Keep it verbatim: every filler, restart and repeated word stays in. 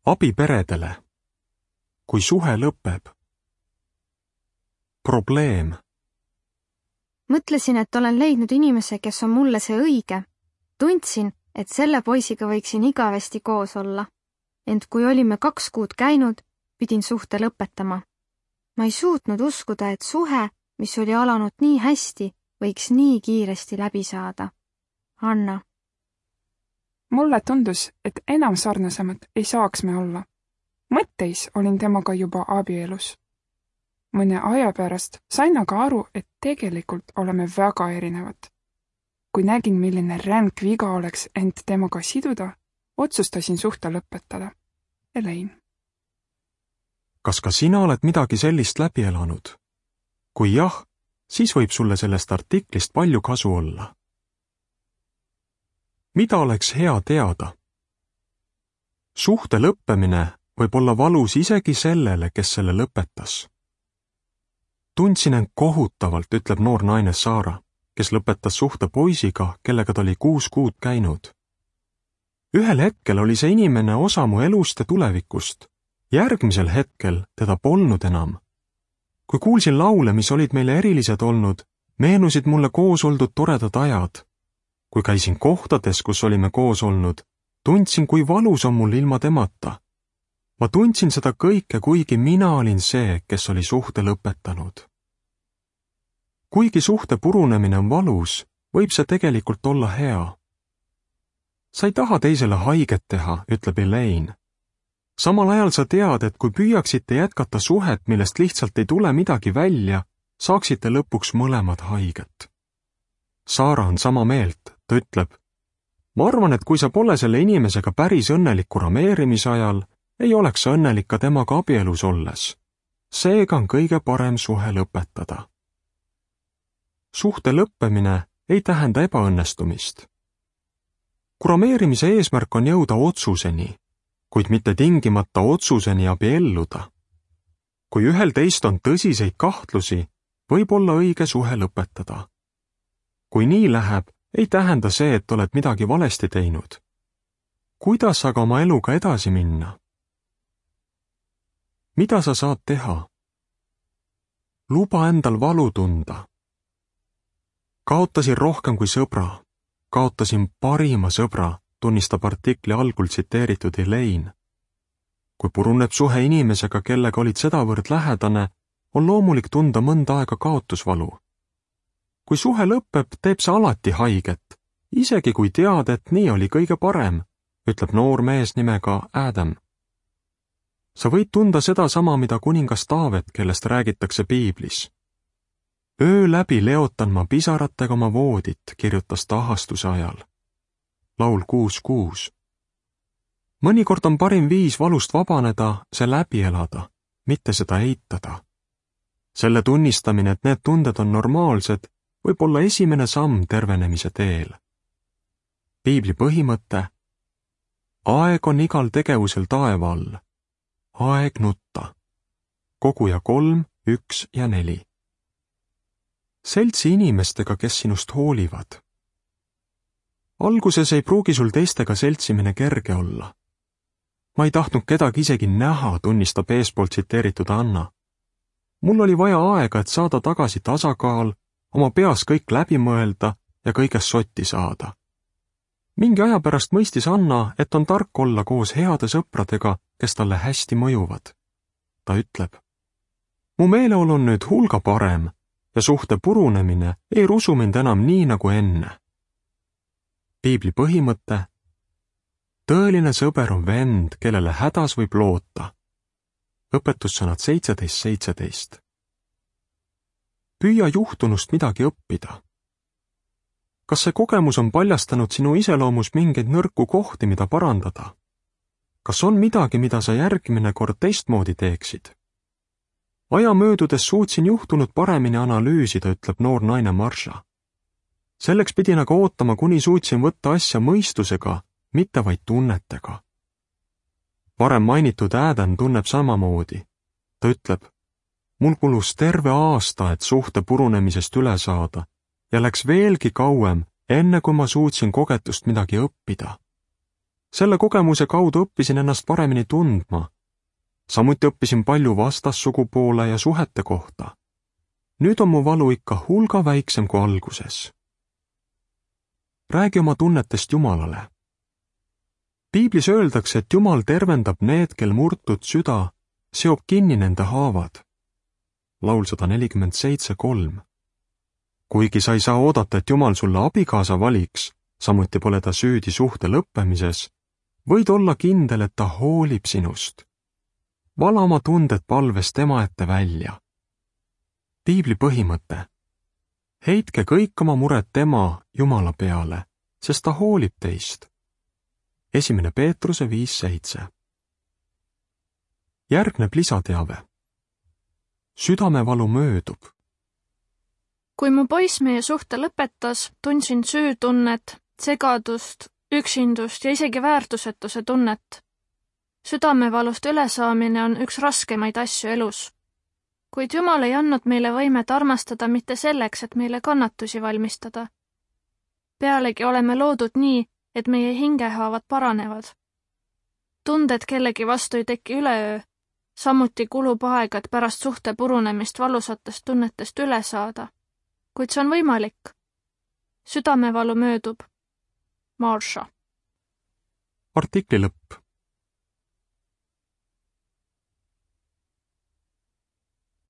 Abi peredele. Kui suhe lõpeb. Probleem. Mõtlesin, et olen leidnud inimese, kes on mulle see õige. Tundsin, et selle poisiga võiksin igavesti koos olla. Ent kui olime kaks kuud käinud, pidin suhte lõpetama. Ma ei suutnud uskuda, et suhe, mis oli alanud nii hästi, võiks nii kiiresti läbi saada. Anna. Mulle tundus, et enam sarnasemad ei saaks me olla. Mõtteis olin temaga juba abielus. Mõne aja pärast sain aga aru, et tegelikult oleme väga erinevad. Kui nägin, milline ränk viga oleks end temaga siduda, otsustasin suhte lõpetada. Elaine. Kas ka sina oled midagi sellist läbi elanud? Kui jah, siis võib sulle sellest artiklist palju kasu olla. Mida oleks hea teada? Suhte lõppemine võib olla valus isegi sellele, kes selle lõpetas. Tundsin end kohutavalt, ütleb noor naine Saara, kes lõpetas suhte poisiga, kellega ta oli kuus kuud käinud. Ühel hetkel oli see inimene osa mu elust ja tulevikust. Järgmisel hetkel teda polnud enam. Kui kuulsin laule, mis olid meile erilised olnud, meenusid mulle koos oldud toredad ajad. Kui käisin kohtades, kus olime koos olnud, tundsin, kui valus on mul ilma temata. Ma tundsin seda kõike, kuigi mina olin see, kes oli suhte lõpetanud. Kuigi suhte purunemine on valus, võib see tegelikult olla hea. Sa ei taha teisele haiget teha, ütleb Elaine. Samal ajal sa tead, et kui püüaksite jätkata suhet, millest lihtsalt ei tule midagi välja, saaksite lõpuks mõlemad haiget. Saara on sama meelt, ta ütleb. Ma arvan, et kui sa pole selle inimesega päris õnnelik kurameerimise ajal, ei oleks õnnelik ka temaga abielus olles. Seega on kõige parem suhe lõpetada. Suhte lõppemine ei tähenda ebaõnnestumist. Kurameerimise eesmärk on jõuda otsuseni, kuid mitte tingimata otsuseni abielluda. Kui ühel teist on tõsiseid kahtlusi, võib olla õige suhe lõpetada. Kui nii läheb, ei tähenda see, et oled midagi valesti teinud. Kuidas aga oma eluga edasi minna? Mida sa saad teha? Luba endal valu tunda. Kaotasin rohkem kui sõbra. Kaotasin parima sõbra, tunnistab artikli algul tsiteeritud Elaine. Kui puruneb suhe inimesega, kellega olid sedavõrd lähedane, on loomulik tunda mõnda aega kaotusvalu. Kui suhe lõpeb, teeb see alati haiget, isegi kui tead, et nii oli kõige parem, ütleb noor mees nimega Adam. Sa võid tunda seda sama, mida kuningas Taavet, kellest räägitakse piiblis. Öö läbi leotan ma pisaratega oma voodit, kirjutas ta ahastuse ajal. Laul kuus kuus. Mõnikord on parim viis valust vabaneda, see läbi elada, mitte seda eitada. Selle tunnistamine, et need tunded on normaalsed, võib olla esimene samm tervenemise teel. Piibli põhimõte. Aeg on igal tegevusel taeva all. Aeg nutta. Koguja kolm, üks ja neli. Seltsi inimestega, kes sinust hoolivad. Alguses ei pruugi sul teistega seltsimine kerge olla. Ma ei tahtnud kedagi isegi näha, tunnistab eespoolt tsiteeritud Anna. Mul oli vaja aega, et saada tagasi tasakaal, oma peas kõik läbi mõelda ja kõigest sotti saada. Mingi aja pärast mõistis Anna, et on tark olla koos heade sõpradega, kes talle hästi mõjuvad. Ta ütleb, mu meeleolu on nüüd hulga parem ja suhte purunemine ei rusu mind enam nii nagu enne. Piibli põhimõte. Tõeline sõber on vend, kellele hädas võib loota. Õpetussõnad seitseteist seitseteist. Püüa juhtunust midagi õppida. Kas see kogemus on paljastanud sinu iseloomus mingeid nõrku kohti, mida parandada? Kas on midagi, mida sa järgmine kord teistmoodi teeksid? Aja möödudes suutsin juhtunud paremini analüüsida, ütleb noor naine Marsha. Selleks pidin aga ootama, kuni suutsin võtta asja mõistusega, mitte vaid tunnetega. Varem mainitud Adam tunneb samamoodi. Ta ütleb, mul kulus terve aasta, et suhte purunemisest üle saada ja läks veelgi kauem, enne kui ma suutsin kogetust midagi õppida. selle kogemuse kaudu õppisin ennast paremini tundma. Samuti õppisin palju vastassugupoole ja suhete kohta. Nüüd on mu valu ikka hulga väiksem kui alguses. Räägi oma tunnetest Jumalale. Piiblis öeldakse, et Jumal tervendab need, kel murtud süda, seob kinni nende haavad. Laul sada nelikümmend seitse kolm. Kuigi sa ei saa oodata, et Jumal sulle abikaasa valiks, samuti pole ta süüdi suhte lõppemises, võid olla kindel, et ta hoolib sinust. Vala oma tunded palves tema ette välja. Piibli põhimõte. Heitke kõik oma mured tema, Jumala peale, sest ta hoolib teist. Esimene Peetruse viis seitse. Järgneb lisateave. Südamevalu möödub. Kui mu poiss meie suhte lõpetas, tundsin süütunnet, segadust, üksindust ja isegi väärtusetuse tunnet. Südamevalust ülesaamine on üks raskemaid asju elus. Kuid Jumal ei andnud meile võimet armastada mitte selleks, et meile kannatusi valmistada. Pealegi oleme loodud nii, et meie hingehaavad paranevad. Tunded kellegi vastu ei teki üleöö, samuti kulub aega, et pärast suhte purunemist valusatest tunnetest üle saada. Kuid see on võimalik. Südamevalu möödub. Marsha. Artikli lõpp.